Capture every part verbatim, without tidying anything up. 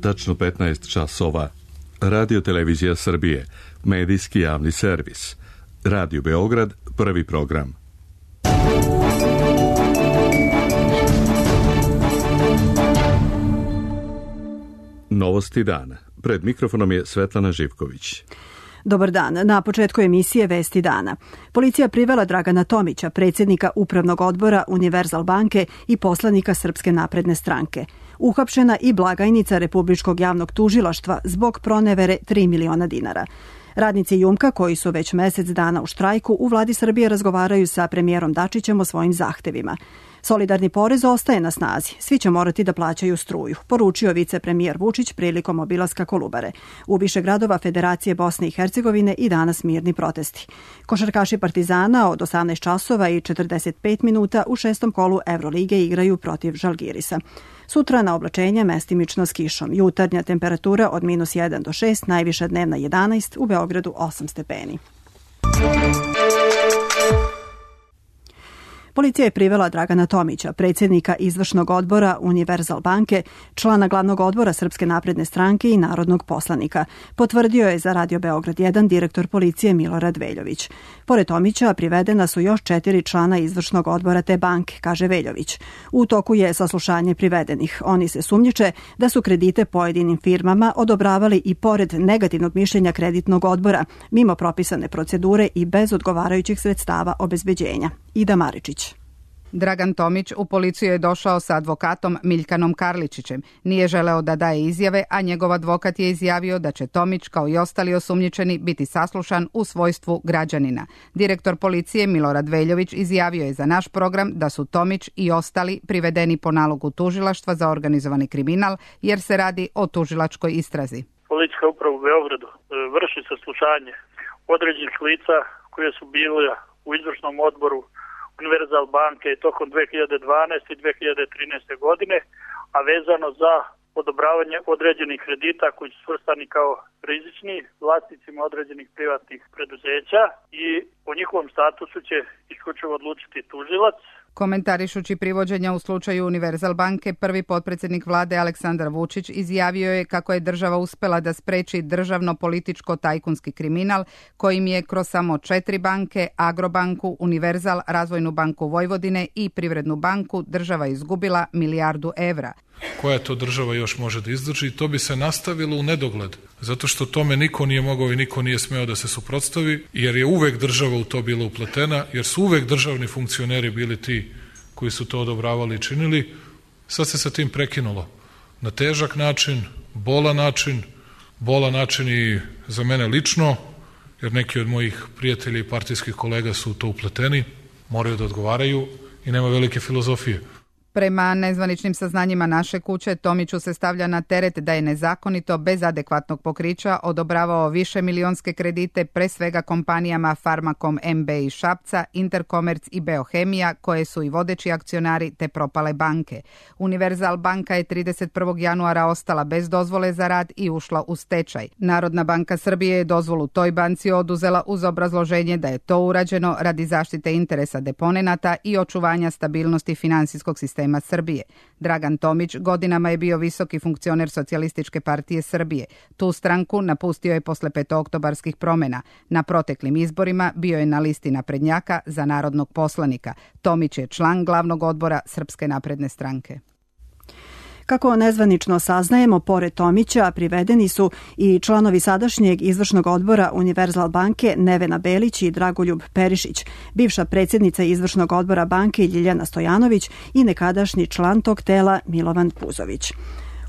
tačno petnaest časova. Radio Televizija Srbije, medijski javni servis. Radio Beograd, prvi program. Novosti dana. Pred mikrofonom je Svetlana Živković. Dobar dan. Na početku emisije Vesti dana. Policija privela Dragana Tomića, predsjednika Upravnog odbora Univerzal banke i poslanika Srpske napredne stranke. Uhapšena i blagajnica Republičkog javnog tužilaštva zbog pronevere tri miliona dinara. Radnici Jumka, koji su već mjesec dana u štrajku, u vladi Srbije razgovaraju sa premijerom Dačićem o svojim zahtevima. Solidarni porez ostaje na snazi. Svi će morati da plaćaju struju, poručio vicepremijer Vučić prilikom obilaska Kolubare. U više gradova Federacije Bosne i Hercegovine i danas mirni protesti. Košarkaši Partizana od osamnaest časova i četrdeset pet minuta u šestom kolu Evrolige igraju protiv Žalgirisa. Sutra na oblačenje mestimično s kišom. Jutarnja temperatura od minus jedan do šest, najviša dnevna jedanaest, u Beogradu osam stepeni. Policija je privela Dragana Tomića, predsjednika izvršnog odbora Univerzal banke, člana glavnog odbora Srpske napredne stranke i narodnog poslanika. Potvrdio je za Radio Beograd jedan direktor policije Milorad Veljović. Pored Tomića privedena su još četiri člana izvršnog odbora te banke, kaže Veljović. U toku je saslušanje privedenih. Oni se sumnjiče da su kredite pojedinim firmama odobravali i pored negativnog mišljenja kreditnog odbora, mimo propisane procedure i bez odgovarajućih sredstava obezbeđenja. Ida Maričić. Dragan Tomić u policiju je došao sa advokatom Miljkanom Karličićem. Nije želeo da daje izjave, a njegov advokat je izjavio da će Tomić, kao i ostali osumnjičeni, biti saslušan u svojstvu građanina. Direktor policije Milorad Veljović izjavio je za naš program da su Tomić i ostali privedeni po nalogu tužilaštva za organizovani kriminal, jer se radi o tužilačkoj istrazi. Policijska uprava u Beogradu vrši saslušanje određenih lica koje su bile u izvršnom odboru Univerzal banke tokom dve hiljade dvanaeste i dve hiljade trinaeste godine, a vezano za odobravanje određenih kredita koji su svrstani kao rizični vlasnicima određenih privatnih preduzeća i o njihovom statusu će isključivo odlučiti tužilac. Komentarišući privođenja u slučaju Univerzal banke, prvi potpredsjednik vlade Aleksandar Vučić izjavio je kako je država uspela da spreči državno-političko-tajkunski kriminal kojim je kroz samo četiri banke, Agrobanku, Univerzal, Razvojnu banku Vojvodine i Privrednu banku država izgubila milijardu evra. Koja to država još može da izdrži? To bi se nastavilo u nedogled, zato što tome niko nije mogao i niko nije smeo da se suprotstavi, jer je uvek država u to bila upletena, jer su uvek državni funkcioneri bili ti koji su to odobravali i činili. Sad se sa tim prekinulo. Na težak način, bolan način, bolan način i za mene lično, jer neki od mojih prijatelja i partijskih kolega su u to upleteni, moraju da odgovaraju i nema velike filozofije. Prema nezvaničnim saznanjima naše kuće, Tomiću se stavlja na teret da je nezakonito, bez adekvatnog pokrića, odobravao više milionske kredite, pre svega kompanijama Farmakom M B iz Šapca, Interkomerc i Beohemija, koje su i vodeći akcionari te propale banke. Univerzal banka je trideset prvog januara ostala bez dozvole za rad i ušla u stečaj. Narodna banka Srbije je dozvolu toj banci oduzela uz obrazloženje da je to urađeno radi zaštite interesa deponenata i očuvanja stabilnosti finansijskog sistema Srbije. Dragan Tomić godinama je bio visoki funkcioner Socijalističke partije Srbije. Tu stranku napustio je posle petooktobarskih promjena. Na proteklim izborima bio je na listi naprednjaka za narodnog poslanika. Tomić je član glavnog odbora Srpske napredne stranke. Kako nezvanično saznajemo, pored Tomića privedeni su i članovi sadašnjeg izvršnog odbora Univerzal banke Nevena Belić i Dragoljub Perišić, bivša predsjednica izvršnog odbora banke Ljiljana Stojanović i nekadašnji član tog tela Milovan Puzović.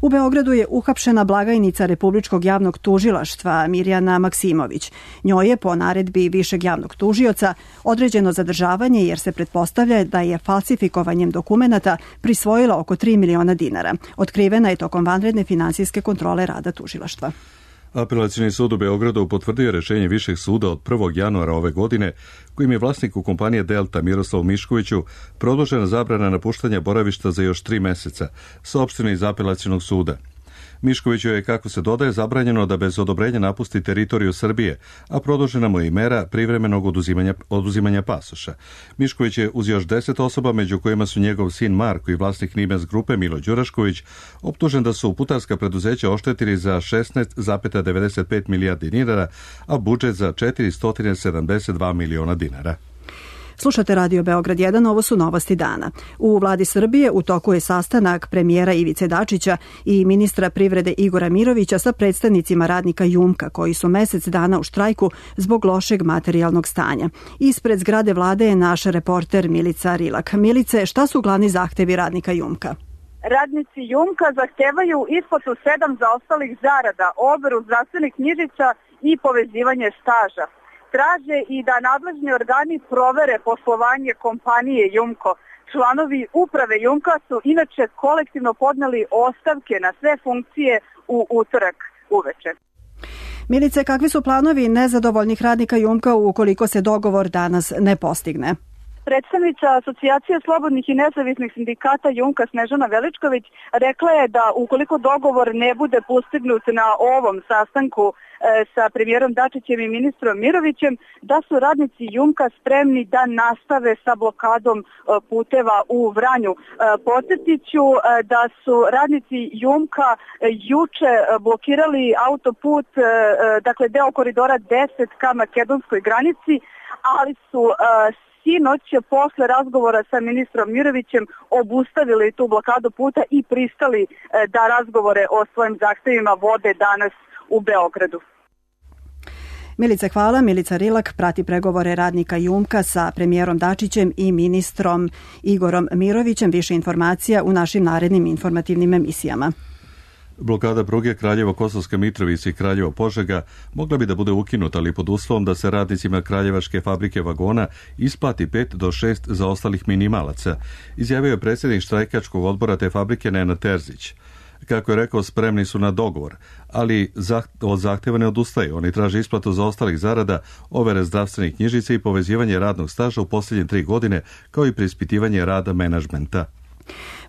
U Beogradu je uhapšena blagajnica Republičkog javnog tužilaštva Mirjana Maksimović. Njoj je po naredbi višeg javnog tužioca određeno zadržavanje jer se pretpostavlja da je falsifikovanjem dokumenata prisvojila oko tri miliona dinara. Otkrivena je tokom vanredne finansijske kontrole rada tužilaštva. Apelacioni sud u Beogradu potvrdio rešenje Višeg suda od prvog januara ove godine, kojim je vlasniku kompanije Delta Miroslavu Miškoviću produžena zabrana napuštanja boravišta za još tri meseca, saopšteno iz Apelacionog suda. Miškoviću je, kako se dodaje, zabranjeno da bez odobrenja napusti teritoriju Srbije, a produžena mu je i mera privremenog oduzimanja, oduzimanja pasoša. Mišković je uz još deset osoba, među kojima su njegov sin Marko i vlasnik Nimens grupe Milo Đurašković, optužen da su putarska preduzeća oštetili za šesnaest zarez devedeset pet milijardi dinara, a budžet za četiristo sedamdeset dva miliona dinara. Slušate Radio Beograd jedan, ovo su novosti dana. U vladi Srbije u toku je sastanak premijera Ivice Dačića i ministra privrede Igora Mirovića sa predstavnicima radnika Jumka, koji su mesec dana u štrajku zbog lošeg materijalnog stanja. Ispred zgrade vlade je naš reporter Milica Rilak. Milice, šta su glavni zahtevi radnika Jumka? Radnici Jumka zahtevaju isplatu sedam zaostalih zarada, overu zdravstvenih knjižica i povezivanje staža. Traže i da nadležni organi provere poslovanje kompanije Jumko. Članovi uprave Jumka su inače kolektivno podneli ostavke na sve funkcije u utorak uveče. Milice, kakvi su planovi nezadovoljnih radnika Jumka ukoliko se dogovor danas ne postigne? Predstavnica Asocijacije slobodnih i nezavisnih sindikata Jumka Snežana Veličković rekla je da ukoliko dogovor ne bude postignut na ovom sastanku e, sa premijerom Dačićem i ministrom Mirovićem, da su radnici Jumka spremni da nastave sa blokadom e, puteva u Vranju. E, podsjetiću e, da su radnici Jumka e, juče e, blokirali autoput, e, dakle deo koridora deset ka makedonskoj granici, ali su e, sinoć posle razgovora sa ministrom Mirovićem obustavili tu blokadu puta i pristali da razgovore o svojim zahtevima vode danas u Beogradu. Milice, hvala. Milica Rilak prati pregovore radnika Jumka sa premijerom Dačićem i ministrom Igorom Mirovićem. Više informacija u našim narednim informativnim emisijama. Blokada pruge Kraljevo-Kosovska Mitrovica i Kraljevo-Požega mogla bi da bude ukinuta, ali pod uslovom da se radnicima Kraljevačke fabrike vagona isplati pet do šest zaostalih minimalaca, izjavio je predsjednik štrajkačkog odbora te fabrike Nenad Terzić. Kako je rekao, spremni su na dogovor, ali od zahtjeva ne odustaju. Oni traže isplatu zaostalih zarada, overe zdravstvenih knjižica i povezivanje radnog staža u posljednje tri godine, kao i preispitivanje rada menadžmenta.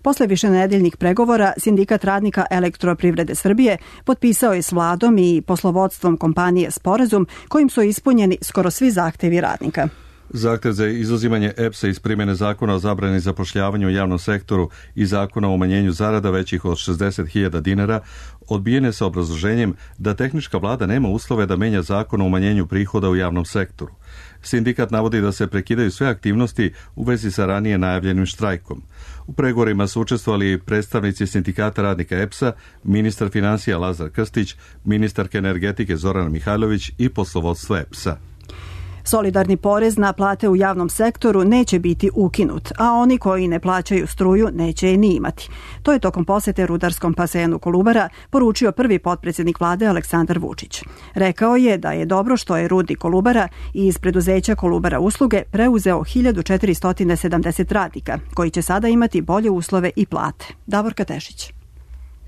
Posle višenedeljnih pregovora, Sindikat radnika Elektroprivrede Srbije potpisao je s vladom i poslovodstvom kompanije sporazum kojim su ispunjeni skoro svi zahtevi radnika. Zahtev za izuzimanje E P S-a iz primjene zakona o zabrani zapošljavanju u javnom sektoru i zakona o umanjenju zarada većih od šezdeset hiljada dinara odbijene sa obrazloženjem da tehnička vlada nema uslove da menja zakon o umanjenju prihoda u javnom sektoru. Sindikat navodi da se prekidaju sve aktivnosti u vezi sa ranije najavljenim štrajkom. U pregovorima su učestvovali predstavnici Sindikata radnika E P S-a, ministar financija Lazar Krstić, ministarka energetike Zorana Mihajlović i poslovodstvo E P S-a. Solidarni porez na plate u javnom sektoru neće biti ukinut, a oni koji ne plaćaju struju neće je ni imati. To je tokom posete rudarskom basenu Kolubara poručio prvi potpredsjednik vlade Aleksandar Vučić. Rekao je da je dobro što je rudnik Kolubara i iz preduzeća Kolubara usluge preuzeo hiljadu četiristo sedamdeset radnika, koji će sada imati bolje uslove i plate. Davorka Tešić.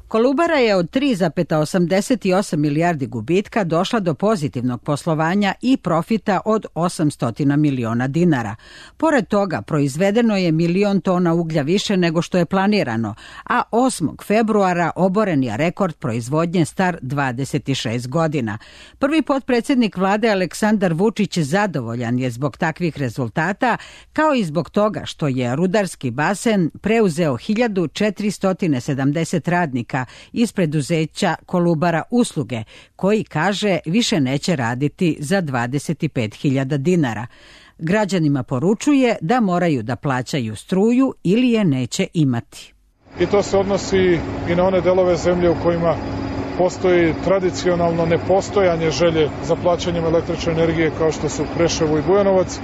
Kolubara je od tri zarez osamdeset osam milijardi gubitka došla do pozitivnog poslovanja i profita od osamsto miliona dinara. Pored toga, proizvedeno je milion tona uglja više nego što je planirano, a osmog februara oboren je rekord proizvodnje star dvadeset šest godina. Prvi potpredsjednik vlade Aleksandar Vučić zadovoljan je zbog takvih rezultata, kao i zbog toga što je rudarski basen preuzeo hiljadu četiristo sedamdeset radnika iz preduzeća Kolubara usluge, koji, kaže, više neće raditi za dvadeset pet hiljada dinara. Građanima poručuje da moraju da plaćaju struju ili je neće imati. I to se odnosi i na one delove zemlje u kojima postoji tradicionalno nepostojanje želje za plaćanjem električne energije, kao što su Preševo i Bujanovac,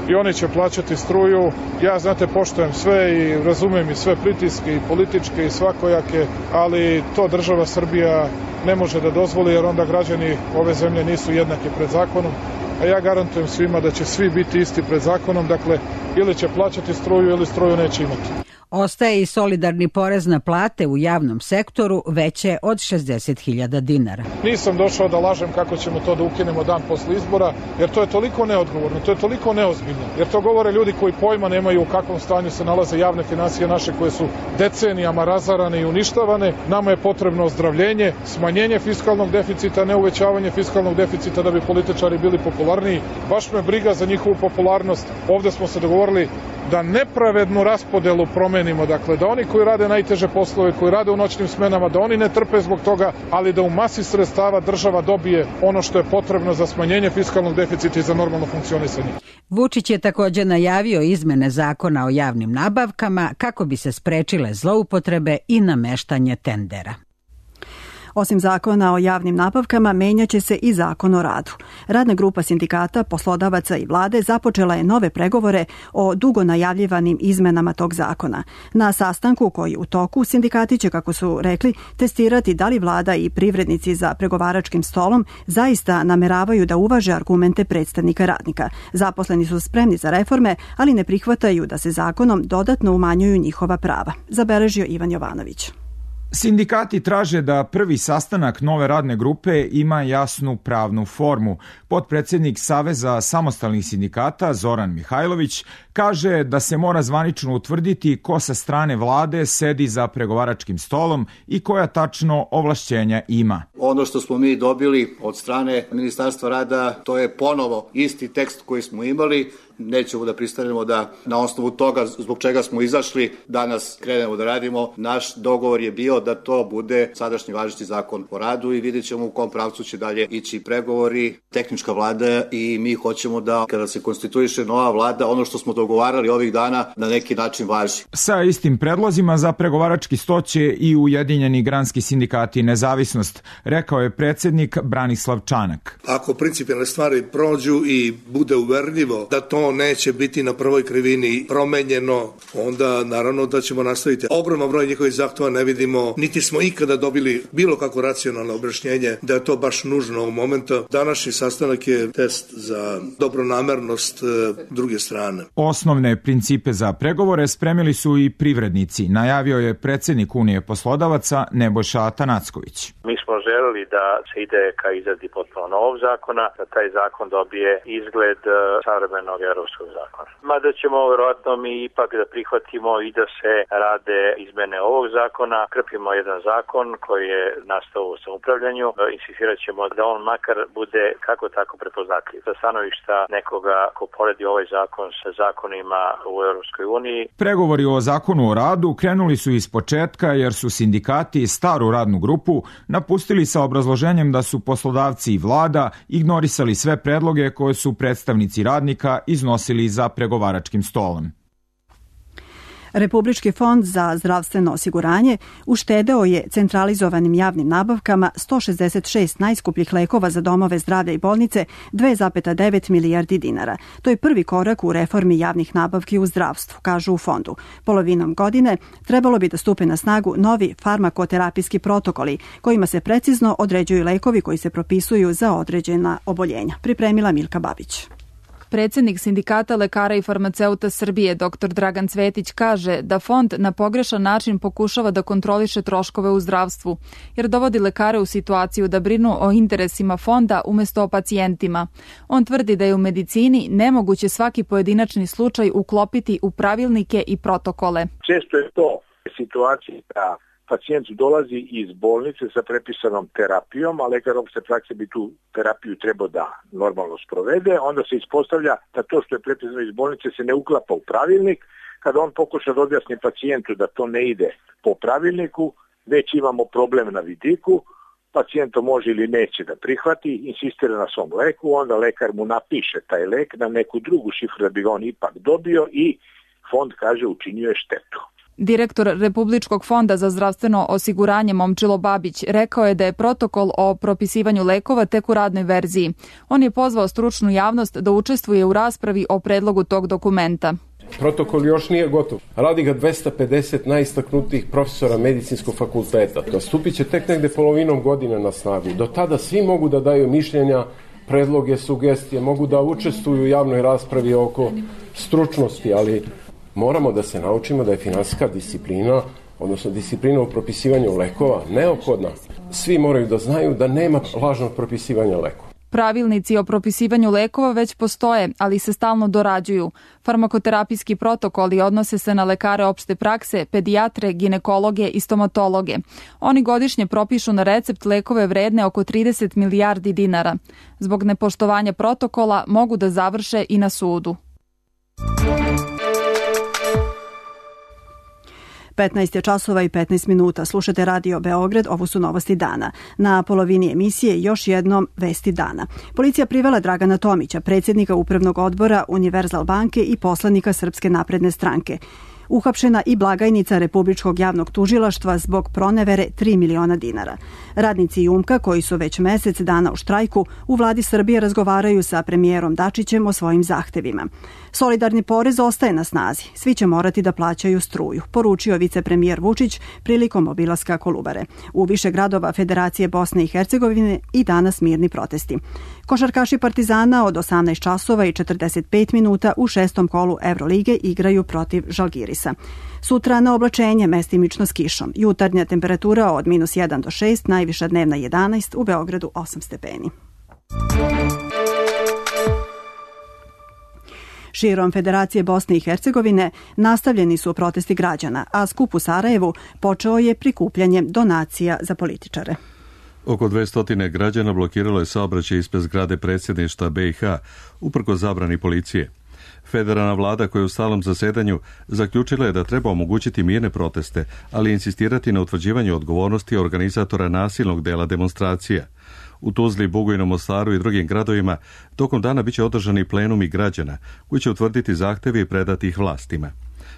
i oni će plaćati struju. Ja, znate, poštujem sve i razumem i sve pritiske i političke i svakojake, ali to država Srbija ne može da dozvoli, jer onda građani ove zemlje nisu jednaki pred zakonom, a ja garantujem svima da će svi biti isti pred zakonom, dakle ili će plaćati struju ili struju neće imati. Ostaje i solidarni porez na plate u javnom sektoru veće od šezdeset hiljada dinara. Nisam došao da lažem kako ćemo to da ukinemo dan posle izbora, jer to je toliko neodgovorno, to je toliko neozbiljno, jer to govore ljudi koji pojma nemaju u kakvom stanju se nalaze javne financije naše koje su decenijama razarane i uništavane. Nama je potrebno ozdravljenje, smanjenje fiskalnog deficita, ne uvećavanje fiskalnog deficita da bi političari bili popularniji. Baš me briga za njihovu popularnost. Ovde smo se dogovorili da nepravednu raspodelu promenimo, dakle da oni koji rade najteže poslove, koji rade u noćnim smenama, da oni ne trpe zbog toga, ali da u masi sredstava država dobije ono što je potrebno za smanjenje fiskalnog deficita i za normalno funkcionisanje. Vučić je također najavio izmene zakona o javnim nabavkama kako bi se sprečile zloupotrebe i nameštanje tendera. Osim zakona o javnim nabavkama, menjaće se i zakon o radu. Radna grupa sindikata, poslodavaca i vlade započela je nove pregovore o dugo najavljivanim izmenama tog zakona. Na sastanku koji je u toku, sindikati će, kako su rekli, testirati da li vlada i privrednici za pregovaračkim stolom zaista nameravaju da uvaže argumente predstavnika radnika. Zaposleni su spremni za reforme, ali ne prihvataju da se zakonom dodatno umanjuju njihova prava. Zabeležio Ivan Jovanović. Sindikati traže da prvi sastanak nove radne grupe ima jasnu pravnu formu. Potpredsjednik Saveza samostalnih sindikata Zoran Mihajlović kaže da se mora zvanično utvrditi ko sa strane vlade sedi za pregovaračkim stolom i koja tačno ovlašćenja ima. Ono što smo mi dobili od strane Ministarstva rada, to je ponovo isti tekst koji smo imali. Nećemo da pristanemo da na osnovu toga zbog čega smo izašli danas krenemo da radimo. Naš dogovor je bio da to bude sadašnji važeći zakon o radu i vidjet ćemo u kom pravcu će dalje ići pregovori. Tehnička vlada i mi hoćemo da kada se konstituiše nova vlada, ono što smo dogovarali ovih dana na neki način važi. Sa istim predlozima za pregovarački sto će i Ujedinjeni granski sindikati Nezavisnost, rekao je predsjednik Branislav Čanak. Ako principijelne stvari prođu i bude uverljivo da to neće biti na prvoj krivini promenjeno, onda naravno da ćemo nastaviti. Ogroman broj njihovih zahtjeva ne vidimo, niti smo ikada dobili bilo kako racionalno objašnjenje da je to baš nužno u momentu. Današnji sastanak je test za dobronamernost e, druge strane. Osnovne principe za pregovore spremili su i privrednici, najavio je predsjednik Unije poslodavaca Nebojša Atanacković. Mi smo želeli da se ide ka izradi potpuno novog zakona, da taj zakon dobije izgled e, savremenog europskog zakona. Mada ćemo vjerojatno mi ipak da prihvatimo i da se rade izmene ovog zakona, krpimo jedan zakon koji je nastao u samoupravljanju, insistirat ćemo da on makar bude kako tako prepoznatljiv. Sa stanovišta nekoga ko poredi ovaj zakon sa zakonima u Europskoj uniji. Pregovori o zakonu o radu krenuli su iz početka jer su sindikati staru radnu grupu napustili sa obrazloženjem da su poslodavci i vlada ignorisali sve predloge koje su predstavnici radnika iznosili za pregovaračkim stolom. Republički fond za zdravstveno osiguranje uštedeo je centralizovanim javnim nabavkama sto šezdeset šest najskupljih lekova za domove zdravlja i bolnice dve zarez devet milijardi dinara. To je prvi korak u reformi javnih nabavki u zdravstvu, kažu u fondu. Polovinom godine trebalo bi da stupe na snagu novi farmakoterapijski protokoli kojima se precizno određuju lekovi koji se propisuju za određena oboljenja. Pripremila Milka Babić. Predsjednik Sindikata lekara i farmaceuta Srbije dr Dragan Cvetić kaže da fond na pogrešan način pokušava da kontroliše troškove u zdravstvu, jer dovodi lekare u situaciju da brinu o interesima fonda umjesto o pacijentima. On tvrdi da je u medicini nemoguće svaki pojedinačni slučaj uklopiti u pravilnike i protokole. Često je to situacija da pacijent dolazi iz bolnice sa prepisanom terapijom, a lekar opšte prakse bi tu terapiju trebao da normalno sprovede, onda se ispostavlja da to što je prepisano iz bolnice se ne uklapa u pravilnik. Kada on pokuša da objasni pacijentu da to ne ide po pravilniku, već imamo problem na vidiku, pacijent to može ili neće da prihvati, insistira na svom leku, onda lekar mu napiše taj lek na neku drugu šifru da bi ga on ipak dobio i fond kaže učinio je štetu. Direktor Republičkog fonda za zdravstveno osiguranje Momčilo Babić rekao je da je protokol o propisivanju lekova tek u radnoj verziji. On je pozvao stručnu javnost da učestvuje u raspravi o predlogu tog dokumenta. Protokol još nije gotov. Radi ga dvesta pedeset najistaknutijih profesora medicinskog fakulteta. Stupit će tek negde polovinom godine na snagu. Do tada svi mogu da daju mišljenja, predloge, sugestije, mogu da učestvuju u javnoj raspravi oko stručnosti, ali Moramo da se naučimo da je finansijska disciplina, odnosno disciplina u propisivanju lekova, neophodna. Svi moraju da znaju da nema lažnog propisivanja lekova. Pravilnici o propisivanju lekova već postoje, ali se stalno dorađuju. Farmakoterapijski protokoli odnose se na lekare opšte prakse, pedijatre, ginekologe i stomatologe. Oni godišnje propišu na recept lekove vredne oko trideset milijardi dinara. Zbog nepoštovanja protokola mogu da završe i na sudu. petnaest je časova i petnaest minuta. Slušate Radio Beograd, ovo su novosti dana. Na polovini emisije još jednom vesti dana. Policija privela Dragana Tomića, predsjednika Upravnog odbora Univerzal banke i poslanika Srpske napredne stranke. Uhapšena i blagajnica Republičkog javnog tužilaštva zbog pronevere tri miliona dinara. Radnici Jumka, koji su već mesec dana u štrajku, u vladi Srbije razgovaraju sa premijerom Dačićem o svojim zahtevima. Solidarni porez ostaje na snazi. Svi će morati da plaćaju struju, poručio vicepremijer Vučić prilikom obilaska Kolubare. U više gradova Federacije Bosne i Hercegovine i danas mirni protesti. Košarkaši Partizana od osamnaest časova i četrdeset pet minuta u šestom kolu Evrolige igraju protiv Žalgirisa. Sutra na oblačenje mestimično s kišom. Jutarnja temperatura od minus jedan do šest, najviša dnevna jedanaest, u Beogradu osam stepeni. Širom Federacije Bosne i Hercegovine nastavljeni su protesti građana, a skup u Sarajevu počeo je prikupljanjem donacija za političare. Oko dvesta građana blokiralo je saobraćaj ispred zgrade predsjedništva B i H, uprkos zabrani policije. Federalna vlada koja je u stalnom zasedanju zaključila je da treba omogućiti mirne proteste, ali insistirati na utvrđivanju odgovornosti organizatora nasilnog dela demonstracija. U Tuzli, Bugojnom, Mostaru i drugim gradovima tokom dana biće održani plenumi građana koji će utvrditi zahteve i predati ih vlastima.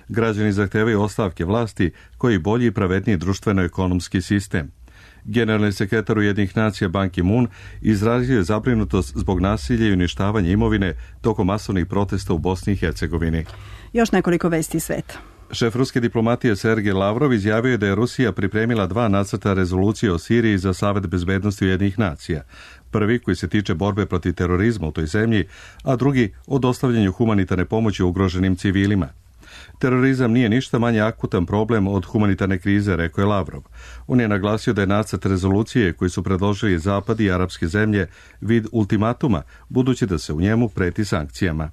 Građani zahtevaju ostavke vlasti koji bolji i pravedniji društveno-ekonomski sistem. Generalni sekretar Ujedinjenih nacija Ban Ki-moon izrazio je zabrinutost zbog nasilja i uništavanja imovine tokom masovnih protesta u Bosni i Hercegovini. Još nekoliko vesti sveta. Šef ruske diplomatije Sergej Lavrov izjavio je da je Rusija pripremila dva nacrta rezolucije o Siriji za Savet bezbednosti Ujedinjenih nacija. Prvi koji se tiče borbe protiv terorizma u toj zemlji, a drugi o dostavljanju humanitarne pomoći ugroženim civilima. Terorizam nije ništa manje akutan problem od humanitarne krize, rekao je Lavrov. On je naglasio da je nacrt rezolucije koji su predložili Zapad i arapske zemlje vid ultimatuma, budući da se u njemu preti sankcijama.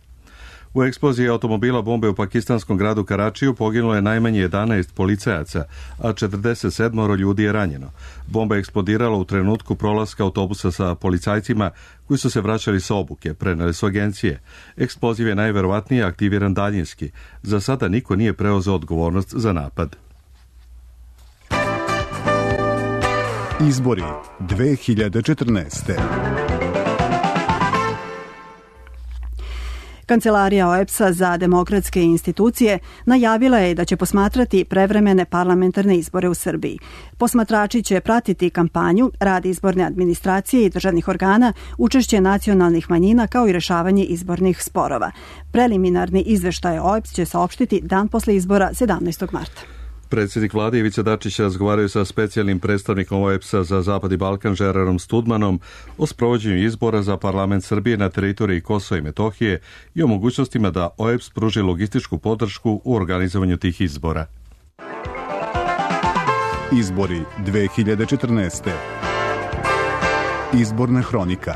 U eksploziji automobila bombe u pakistanskom gradu Karačiju poginulo je najmanje jedanaest policajaca, a četrdeset sedam ljudi je ranjeno. Bomba je eksplodirala u trenutku prolaska autobusa sa policajcima koji su se vraćali sa obuke, prenele su agencije. Eksploziv je najverovatnije aktiviran daljinski. Za sada niko nije preuzeo odgovornost za napad. Izbori dve hiljade četrnaeste. Kancelarija O E B S-a za demokratske institucije najavila je da će posmatrati prevremene parlamentarne izbore u Srbiji. Posmatrači će pratiti kampanju, rad izborne administracije i državnih organa, učešće nacionalnih manjina kao i rešavanje izbornih sporova. Preliminarni izveštaj O E B S će saopštiti dan posle izbora sedamnaestog marta. Predsjednik vlade Ivica Dačić razgovaraju sa specijalnim predstavnikom O E B S-a za Zapad i Balkan Žerarom Studmanom o sprovođenju izbora za parlament Srbije na teritoriji Kosova i Metohije i o mogućnostima da O E B S pruži logističku podršku u organizovanju tih izbora. Izbori dve hiljade četrnaeste. Izborna hronika.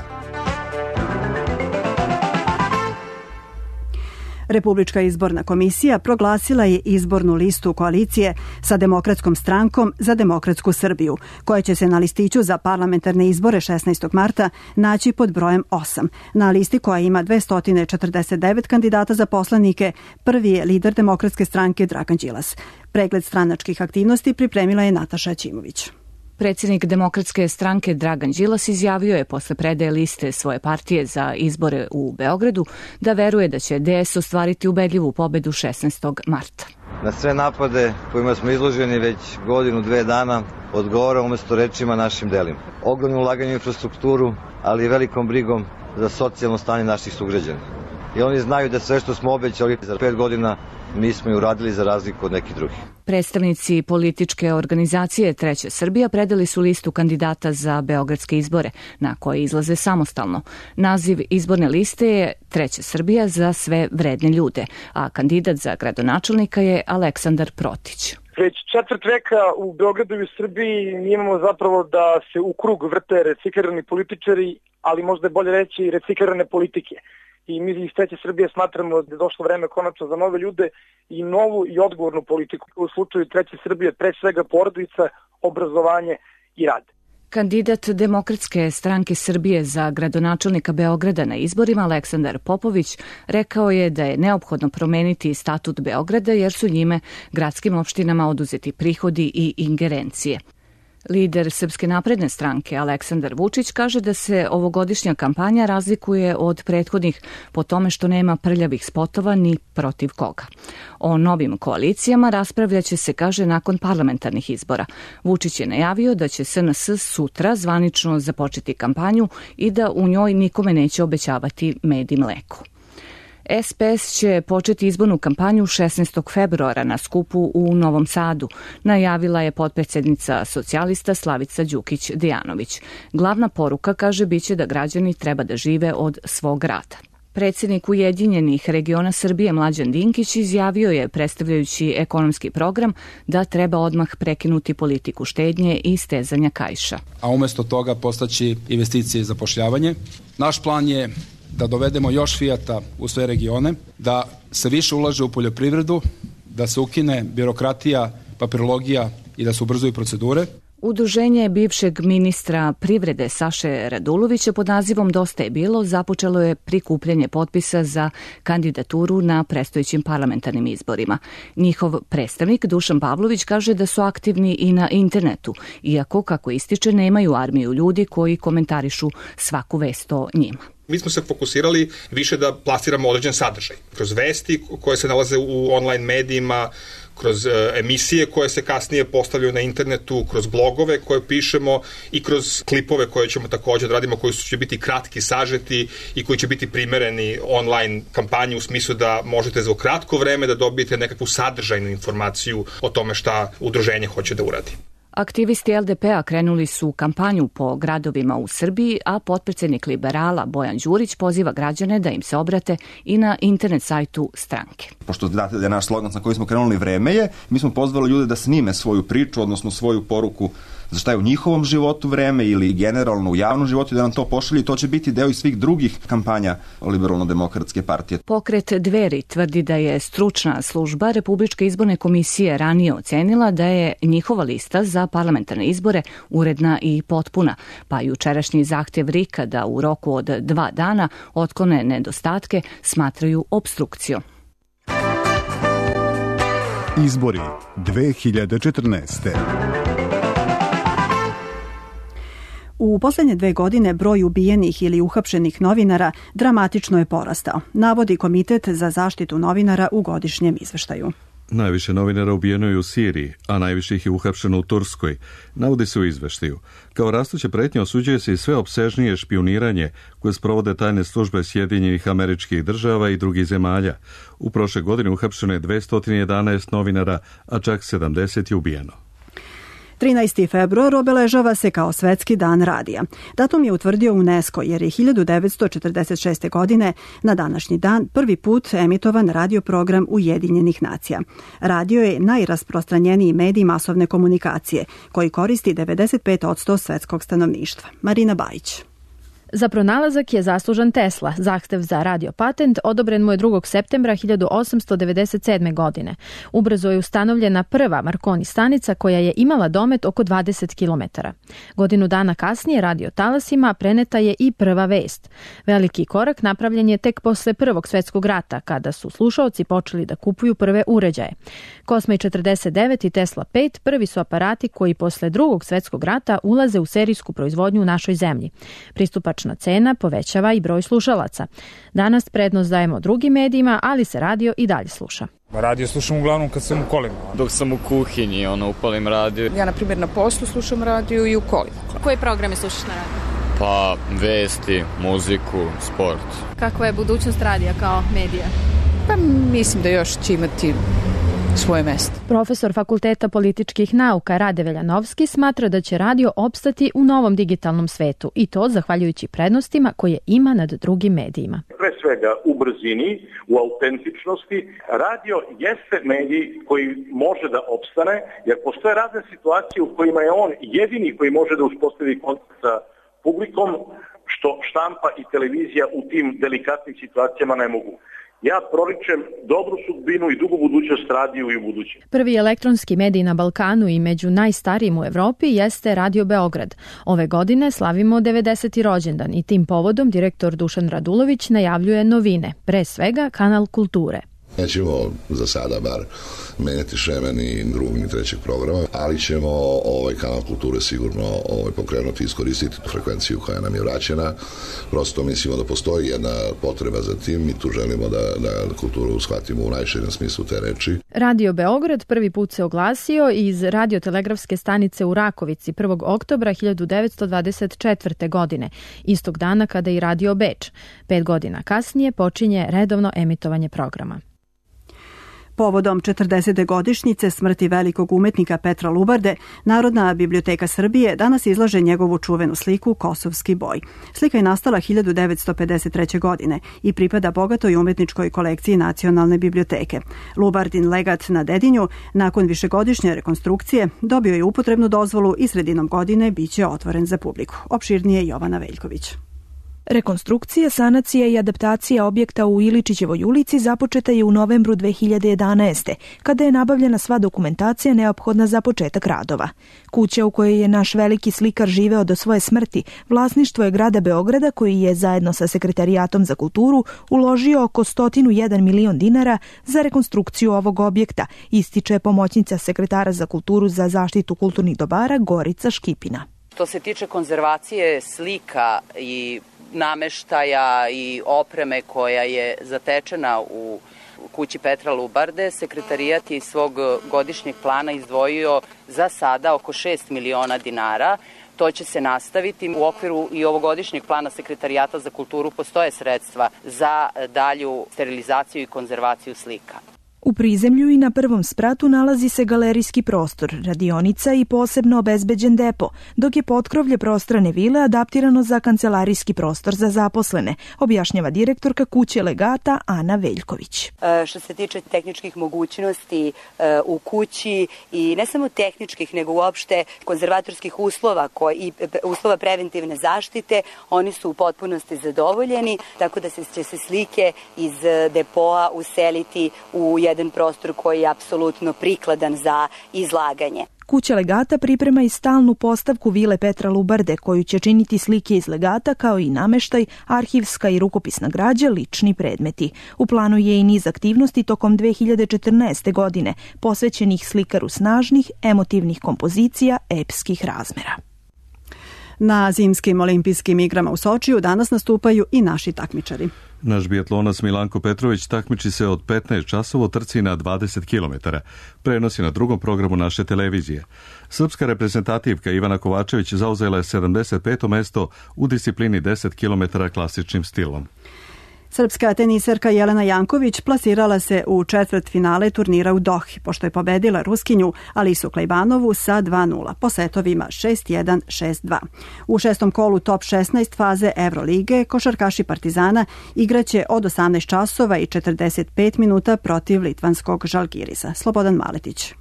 Republička izborna komisija proglasila je izbornu listu koalicije sa Demokratskom strankom za demokratsku Srbiju, koja će se na listiću za parlamentarne izbore šesnaestog marta naći pod brojem osam. Na listi koja ima dvesta četrdeset devet kandidata za poslanike, prvi je lider Demokratske stranke Dragan Đilas. Pregled stranačkih aktivnosti pripremila je Nataša Ćimović. Predsjednik Demokratske stranke Dragan Đilas izjavio je posle predaje liste svoje partije za izbore u Beogradu da veruje da će D S ostvariti ubedljivu pobedu šesnaestog marta. Na sve napade kojima smo izloženi već godinu, dve dana, odgovara umesto rečima našim delima. Ogromno ulaganje u infrastrukturu, ali i velikom brigom za socijalno stanje naših sugrađana. i oni znaju da sve što smo obećali za pet godina mi smo i uradili za razliku od nekih drugih. Predstavnici političke organizacije Treća Srbija predali su listu kandidata za beogradske izbore, na koje izlaze samostalno. Naziv izborne liste je Treća Srbija za sve vredne ljude, a kandidat za gradonačelnika je Aleksandar Protić. Već četvrt veka u Beogradu i u Srbiji mi imamo zapravo da se u krug vrte reciklirani političari, ali možda je bolje reći i reciklirane politike. I mi iz Treće Srbije smatramo da je došlo vreme konačno za nove ljude i novu i odgovornu politiku. U slučaju Treće Srbije pre svega porodica, obrazovanje i rad. Kandidat Demokratske stranke Srbije za gradonačelnika Beograda na izborima Aleksandar Popović rekao je da je neophodno promeniti statut Beograda jer su njime gradskim opštinama oduzeti prihodi i ingerencije. Lider Srpske napredne stranke Aleksandar Vučić kaže da se ovogodišnja kampanja razlikuje od prethodnih po tome što nema prljavih spotova ni protiv koga. O novim koalicijama raspravljaće se, kaže, nakon parlamentarnih izbora. Vučić je najavio da će S N S sutra zvanično započeti kampanju i da u njoj nikome neće obećavati med i mleko. S P S će početi izbornu kampanju šesnaestog februara na skupu u Novom Sadu, najavila je potpredsednica socijalista Slavica Đukić-Dejanović. Glavna poruka, kaže, biće da građani treba da žive od svog rada. Predsjednik Ujedinjenih regiona Srbije Mlađan Dinkić izjavio je, predstavljajući ekonomski program, da treba odmah prekinuti politiku štednje i stezanja kaiša. A umjesto toga postaći investicije i zapošljavanje. Naš plan je da dovedemo još Fijata u sve regione, da se više ulaže u poljoprivredu, da se ukine birokratija, papirologija i da se ubrzuju procedure. Udruženje bivšeg ministra privrede Saše Radulovića pod nazivom Dosta je bilo započelo je prikupljanje potpisa za kandidaturu na predstojećim parlamentarnim izborima. Njihov predstavnik Dušan Pavlović kaže da su aktivni i na internetu, iako, kako ističe, nemaju armiju ljudi koji komentarišu svaku vest o njima. Mi smo se fokusirali više da plasiramo određen sadržaj. Kroz vesti koje se nalaze u online medijima, kroz emisije koje se kasnije postavljaju na internetu, kroz blogove koje pišemo i kroz klipove koje ćemo također da radimo, koji će biti kratki, sažeti i koji će biti primereni online kampanji u smislu da možete za kratko vreme da dobijete nekakvu sadržajnu informaciju o tome šta udruženje hoće da uradi. Aktivisti L D P-a krenuli su kampanju po gradovima u Srbiji, a potpredsjednik liberala Bojan Đurić poziva građane da im se obrate i na internet sajtu stranke. Pošto znate da je naš slogan sa kojim smo krenuli vreme je, mi smo pozvali ljude da snime svoju priču, odnosno svoju poruku za šta je u njihovom životu vreme ili generalno u javnom životu, da nam to pošalju i to će biti deo i svih drugih kampanja Liberalno-demokratske partije. Pokret Dveri tvrdi da je stručna služba Republičke izborne komisije ranije ocenila da je njihova lista za parlamentarne izbore uredna i potpuna, pa jučerašnji zahtjev R I K-a da u roku od dva dana otklone nedostatke smatraju opstrukcijom. Izbori dve hiljade četrnaeste. U posljednje dve godine broj ubijenih ili uhapšenih novinara dramatično je porastao, navodi Komitet za zaštitu novinara u godišnjem izveštaju. Najviše novinara ubijeno je u Siriji, a najviše ih je uhapšeno u Turskoj, navodi se u izveštaju. Kao rastuće pretnje osuđuje se i sve opsežnije špijuniranje koje sprovode tajne službe Sjedinjenih Američkih Država i drugih zemalja. U prošle godine uhapšeno je dvesta jedanaest novinara, a čak sedamdeset je ubijeno. trinaesti februar obeležava se kao Svetski dan radija. Datum je utvrdio UNESCO jer je hiljadu devetsto četrdeset šeste. godine na današnji dan prvi put emitovan radio program Ujedinjenih nacija. Radio je najrasprostranjeniji medij masovne komunikacije koji koristi devedeset pet posto svetskog stanovništva. Marina Bajić. Za pronalazak je zaslužan Tesla. Zahtev za radio patent odobren mu je drugog septembra hiljadu osamsto devedeset sedme. godine. Ubrzo je ustanovljena prva Marconi stanica koja je imala domet oko dvadeset kilometara. Godinu dana kasnije radio talasima preneta je i prva vest. Veliki korak napravljen je tek posle Prvog svetskog rata, kada su slušaoci počeli da kupuju prve uređaje. Cosma četrdeset devet i Tesla pet prvi su aparati koji posle Drugog svetskog rata ulaze u serijsku proizvodnju u našoj zemlji. Pristupačna cena povećava i broj slušalaca. Danas prednost dajemo drugim medijima, ali se radio i dalje sluša. Radio slušam uglavnom kad sam u kolima. Dok sam u kuhinji, ono, upalim radio. Ja, na primjer, na poslu slušam radio i u kolima. Koje programe slušaš na radio? Pa vesti, muziku, sport. Kakva je budućnost radija kao medija? Pa mislim da još će imati svoje mesto. Profesor Fakulteta političkih nauka Rade Veljanovski smatra da će radio opstati u novom digitalnom svetu i to zahvaljujući prednostima koje ima nad drugim medijima. Pre svega u brzini, u autentičnosti. Radio jeste medij koji može da opstane, jer postoje razne situacije u kojima je on jedini koji može da uspostavi kontakt sa publikom, što štampa i televizija u tim delikatnim situacijama ne mogu. Ja proričem dobru sudbinu i dugu budućnost radiju i u budućem. Prvi elektronski medij na Balkanu i među najstarijim u Evropi jeste Radio Beograd. Ove godine slavimo devedeseti rođendan i tim povodom direktor Dušan Radulović najavljuje novine, pre svega kanal kulture. Nećemo za sada bar menjati šeme ni drugog ni trećeg programa, ali ćemo ovaj kanal kulture sigurno ovaj pokrenuti i iskoristiti tu frekvenciju koja nam je vraćena. Prosto mislimo da postoji jedna potreba za tim i tu želimo da, da kulturu shvatimo u najširem smislu te reči. Radio Beograd prvi put se oglasio iz radiotelegrafske stanice u Rakovici prvog oktobra hiljadu devetsto dvadeset četvrte. godine, istog dana kada i Radio Beč. Pet godina kasnije počinje redovno emitovanje programa. Povodom četrdesete godišnjice smrti velikog umetnika Petra Lubarde, Narodna biblioteka Srbije danas izlaže njegovu čuvenu sliku Kosovski boj. Slika je nastala hiljadu devetsto pedeset treće. godine i pripada bogatoj umetničkoj kolekciji Nacionalne biblioteke. Lubardin legat na Dedinju, nakon višegodišnje rekonstrukcije, dobio je upotrebnu dozvolu i sredinom godine biće otvoren za publiku. Opširnije Jovana Veljković. Rekonstrukcija, sanacija i adaptacija objekta u Iličićevoj ulici započeta je u novembru dve hiljade jedanaeste. kada je nabavljena sva dokumentacija neophodna za početak radova. Kuća u kojoj je naš veliki slikar živeo do svoje smrti, vlasništvo je grada Beograda koji je zajedno sa Sekretarijatom za kulturu uložio oko sto jedan milion dinara za rekonstrukciju ovog objekta, ističe pomoćnica sekretara za kulturu za zaštitu kulturnih dobara Gorica Škipina. Što se tiče konzervacije slika i nameštaja i opreme koja je zatečena u kući Petra Lubarde, sekretarijat je iz svog godišnjeg plana izdvojio za sada oko šest miliona dinara. To će se nastaviti. U okviru i ovogodišnjeg plana Sekretarijata za kulturu postoje sredstva za dalju sterilizaciju i konzervaciju slika. U prizemlju i na prvom spratu nalazi se galerijski prostor, radionica i posebno obezbeđen depo, dok je potkrovlje prostrane vile adaptirano za kancelarijski prostor za zaposlene, objašnjava direktorka kuće legata Ana Veljković. E, što se tiče tehničkih mogućnosti e, u kući i ne samo tehničkih, nego uopšte konzervatorskih uslova koji, i uslova preventivne zaštite, oni su u potpunosti zadovoljeni, tako da se, će se slike iz depoa useliti u jedan prostor koji je apsolutno prikladan za izlaganje. Kuća legata priprema i stalnu postavku vile Petra Lubarde, koju će činiti slike iz legata kao i nameštaj, arhivska i rukopisna građa, lični predmeti. U planu je i niz aktivnosti tokom dve hiljade četrnaeste. godine, posvećenih slikaru snažnih, emotivnih kompozicija epskih razmera. Na zimskim olimpijskim igrama u Sočiju danas nastupaju i naši takmičari. Naš biatlonac Milanko Petrović takmiči se od petnaest časova u trci na dvadeset kilometara. Prenosi na drugom programu naše televizije. Srpska reprezentativka Ivana Kovačević zauzela je sedamdeset peto mesto u disciplini deset kilometara klasičnim stilom. Srpska teniserka Jelena Janković plasirala se u četvrt finale turnira u Dohi, pošto je pobedila Ruskinju Alisu Klejbanovu sa dva nula, po setovima šest jedan, šest dva. U šestom kolu top šesnaest faze Evrolige košarkaši Partizana igraće od osamnaest časova i četrdeset pet minuta protiv litvanskog Žalgirisa. Slobodan Maletić.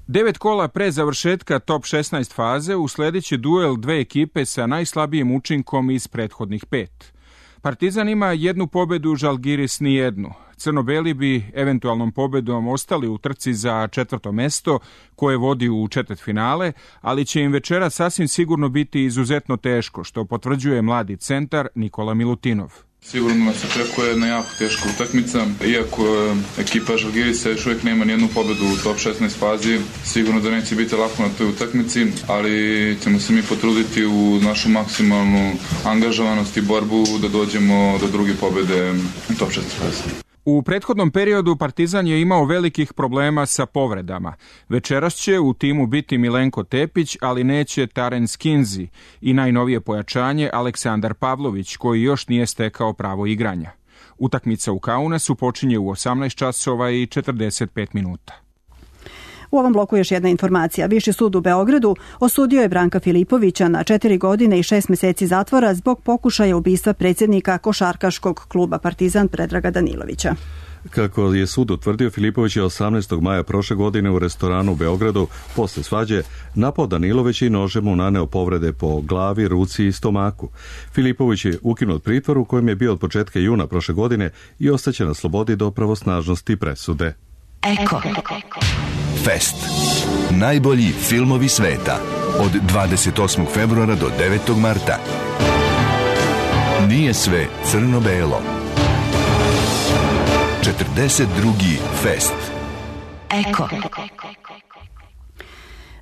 Devet kola pre završetka top šesnaest faze usledeće duel dve ekipe sa najslabijim učinkom iz prethodnih pet. Partizan ima jednu pobedu, Žalgiris ni jednu. Crno-beli bi eventualnom pobedom ostali u trci za četvrto mesto koje vodi u četvrtfinale, ali će im večera sasvim sigurno biti izuzetno teško, što potvrđuje mladi centar Nikola Milutinov. Sigurno nas očekuje jedna jako teška utakmica, iako ekipa Žalgirisa još uvijek nema nijednu pobedu u top šesnaest fazi, sigurno da neće biti lako na toj utakmici, ali ćemo se mi potruditi u našu maksimalnu angažovanost i borbu da dođemo do druge pobede u top šesnaest fazi. U prethodnom periodu Partizan je imao velikih problema sa povredama. Večeras će u timu biti Milenko Tepić, ali neće Taren Skinzi i najnovije pojačanje Aleksandar Pavlović, koji još nije stekao pravo igranja. Utakmica u Kaunasu počinje u osamnaest časova i četrdeset pet minuta. U ovom bloku još jedna informacija. Viši sud u Beogradu osudio je Branka Filipovića na četiri godine i šest meseci zatvora zbog pokušaja ubistva predsjednika košarkaškog kluba Partizan Predraga Danilovića. Kako je sud utvrdio, Filipović je osamnaestog maja prošle godine u restoranu u Beogradu posle svađe napao Danilovića i nožem mu naneo povrede po glavi, ruci i stomaku. Filipović je ukinut pritvor u kojem je bio od početka juna prošle godine i ostaće na slobodi do pravosnažnosti presude. Eko. Fest. Najbolji filmovi sveta. Od dvadeset osmog februara do devetog marta. Nije sve crno-belo. četrdeset drugi Fest. Eko.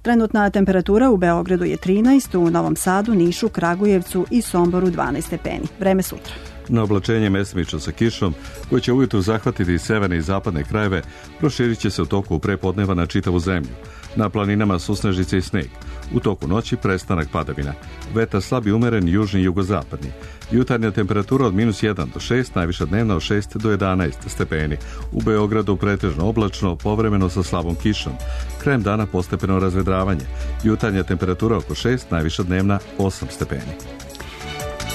Trenutna temperatura u Beogradu je trinaest, u Novom Sadu, Nišu, Kragujevcu i Somboru dvanaest stepeni. Vreme sutra. Na oblačenje mestimično sa kišom, koji će ujutru zahvatiti severne i zapadne krajeve, proširit će se u toku prepodneva na čitavu zemlju. Na planinama susnežice i sneg. U toku noći prestanak padavina. Vetar slab i umeren južni i jugozapadni. Jutarnja temperatura od minus jedan do šest, najviša dnevna od šest do jedanaest stepeni. U Beogradu pretežno oblačno, povremeno sa slabom kišom. Krajem dana postepeno razvedravanje. Jutarnja temperatura oko šest, najviša dnevna osam stepeni.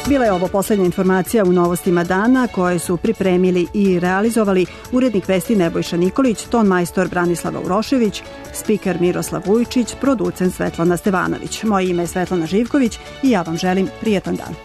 Bila je ovo posljednja informacija u novostima dana koje su pripremili i realizovali urednik Vesti Nebojša Nikolić, ton majstor Branislava Urošević, spiker Miroslav Vujčić, producent Svetlana Stevanović. Moje ime je Svetlana Živković i ja vam želim prijetan dan.